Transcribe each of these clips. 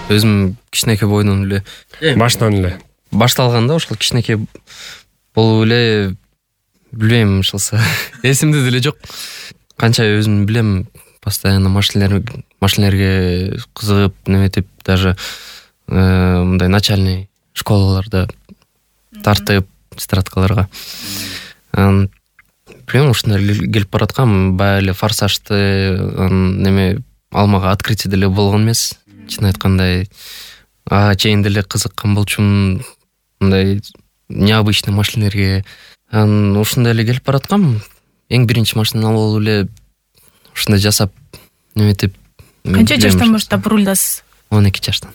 өзүм кичинекей бойдон эле башынан эле башталганда ошол кичинекей болуп эле билбейм ошолсо эсимде деле жок. Канча өзүм билем, постоянно машинелерге кызыгып неметип, даже мындай начальный школаларда тартып тетрадкаларга. Билем, ушундай келип бараткам. Баягы эле форсажды неме алмага открытие деле болгон эмес. Чын айтканда чейин деле кызыккан болчумун мындай необычный машинелерге. Ушундай эле келип бараткам. Эң биринчи машинаны алып эле ушундай жасап неметип. Канча жаштан баштап рулдасыз? 12 жаштан.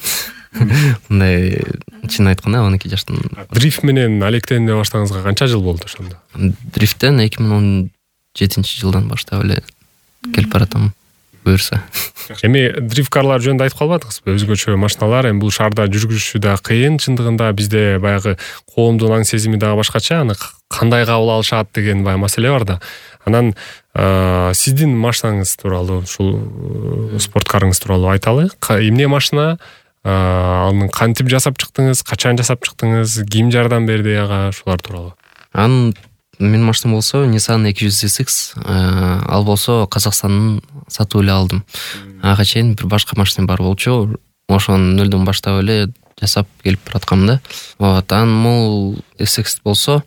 Мындай чын айтканда 12 жаштан. Дрифт менен алектене баштагыңызга канча жыл болду ошондо? Дрифттен 2017-жылдан баштап эле келип баратам, буюрса. Эми дрифт карлар жөнүндө айтып калбадыңызбы? Өзгөчө машиналар, эми бул шаарда жүргүзүшү да кыйын. Чындыгында бизде баягы коомдун аң сезими дагы башкача, аны кандай кабыл алышат деген баягы маселе бар да. Анан сиздин машинаңыз тууралуу, ушул спорткарыңыз тууралуу айталы. Эмне машина? Аны кантип жасап чыктыңыз? Качан жасап чыктыңыз? Ким жардам берди ага? Шулар тууралуу. Менин машинам болсо Nissan 200SX, ал болсо Казакстандын сатып эле алдым. Ага чейин бир башка машинам бар болчу. Ошону нөлдөн баштап эле жасап келип бараткам да. Вот, бул SX болсо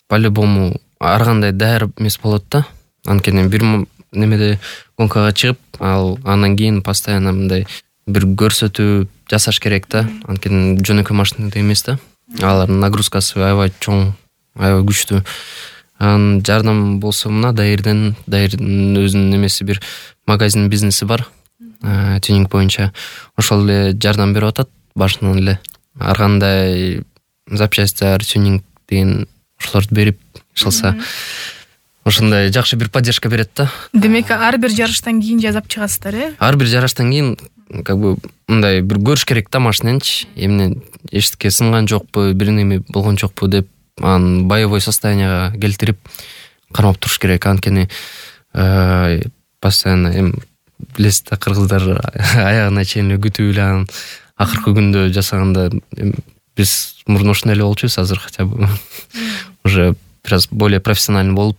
по-любому ар кандай даяр эмес болот да. Анткени бир немеде гонкага чыгып, андан кийин постоянно мындай бир көрсөтүү жасаш керек да. Анткени жөнөкөй машинада эмес да. Алардын нагрузкасы аябай чоң, аябай күчтүү. Жардам болсо мына дайырдын өзүнүн немеси бир магазин бизнеси бар. Тюнинг боюнча. Ошол эле жардам берип атат башынан эле. Ар кандай запчастьтар, тюнинг деген ошолорду берип ишалса, ошондой жакшы бир поддержка берет да. Демек, ар бир жарыштан кийин жасап чыгасыздар, Ар бир жарыштан кийин как бы мындай бир көрүш керек да машинанычы. Эмне эчтеке сынган жокпу, бир неме болгон жокпу деп аны боевой состоянияга келтирип кармап туруш керек. Анткени постоянно билесиз да, кыргыздар аягына чейин эле күтүп эле анан акыркы күндө жасаганда биз мурун ушундай эле болчубуз, азыр хотя бы уже biraz более профессиональный болуп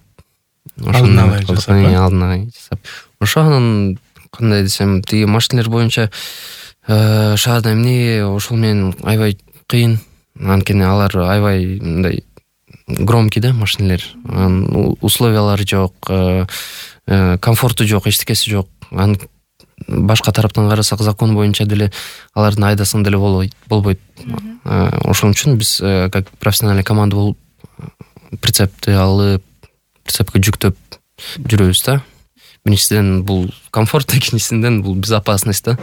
алдын жасап. Ошо анан кандай десем, тиги машинелер боюнча шаарда эмне ошол менен аябай кыйын. Анткени алар аябай мындай громкий да машинелер. Условиялары жок, комфорту жок, эчтекеси жок. Башка тараптан карасак, закон боюнча деле алардын айдасын деле болбойт. Ошон үчүн биз как профессиональный команда болуп прицепти алып, прицепке жүктөп жүрөбүз да. Биринчиден бул комфорт, экинчисинен бул безопасность да.